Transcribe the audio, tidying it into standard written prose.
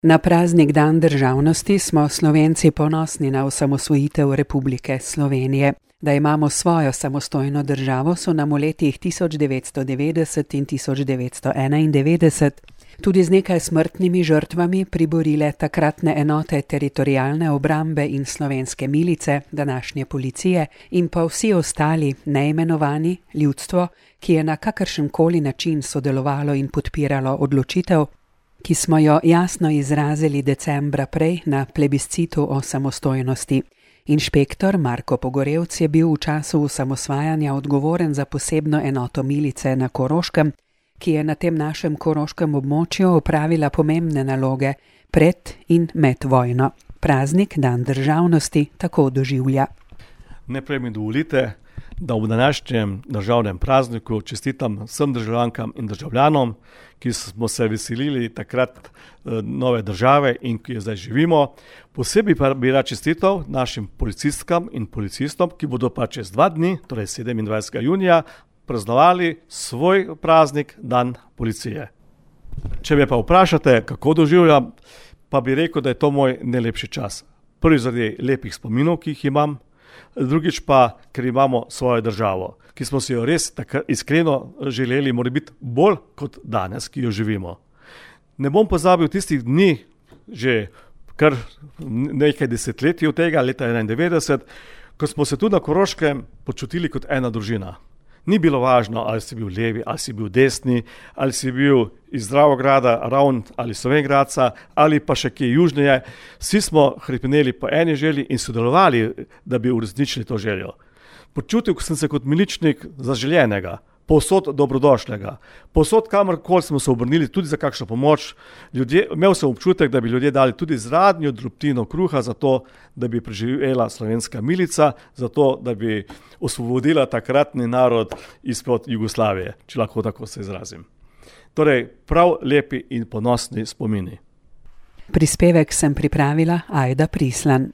Na praznik Dan državnosti smo Slovenci ponosni na osamosvojitev Republike Slovenije. Da imamo svojo samostojno državo, so nam v letih 1990 in 1991 tudi z nekaj smrtnimi žrtvami priborile takratne enote teritorialne obrambe in slovenske milice, današnje policije, in pa vsi ostali neimenovani, ljudstvo, ki je na kakršenkoli način sodelovalo in podpiralo odločitev, ki smo jo jasno izrazili decembra prej na plebiscitu o samostojnosti. Inšpektor Marko Pogorevc je bil v času osamosvajanja odgovoren za posebno enoto milice na Koroškem, ki je na tem našem koroškem območju opravila pomembne naloge pred in med vojno. Praznik Dan državnosti tako doživlja. Najprej mi dovolite, da v današnjem državnem prazniku čestitam vsem državljankam in državljanom, ki smo se veselili takrat nove države in ki jo zdaj živimo. Posebej pa bi rad čestital našim policistkam in policistom, ki bodo pa čez 2 dni, torej 27. junija, praznovali svoj praznik Dan policije. Če me pa vprašate, kako doživljam, pa bi rekel, da je to moj najlepši čas. Prvi zaradi lepih spominov, ki jih imam, drugič pa, ker imamo svojo državo, ki smo si jo res iskreno želeli, mora biti bolj kot danes, ki jo živimo. Ne bom pozabil tistih dni, že kar nekaj desetletij od tega, leta 1991, ko smo se tu na Koroškem počutili kot ena družina. Ni bilo važno, ali si bil levi, ali si bil desni, ali si bil iz Dravograda, Ravn ali Slovenj Gradca, ali pa še kje južneje. Vsi smo hrepneli po eni želji in sodelovali, da bi uresničili to željo. Počutil sem se kot miličnik zaželenega, povsod dobrodošlega. Povsod, kamorkoli smo se obrnili, tudi za kakšno pomoč. Imel sem občutek, da bi ljudje dali tudi zadnjo drobtino kruha za to, da bi preživela slovenska milica, za to, da bi osvobodila takratni narod izpod Jugoslavije, če lahko tako se izrazim. Torej, prav lepi in ponosni spomini. Prispevek sem pripravila Ajda Prislan.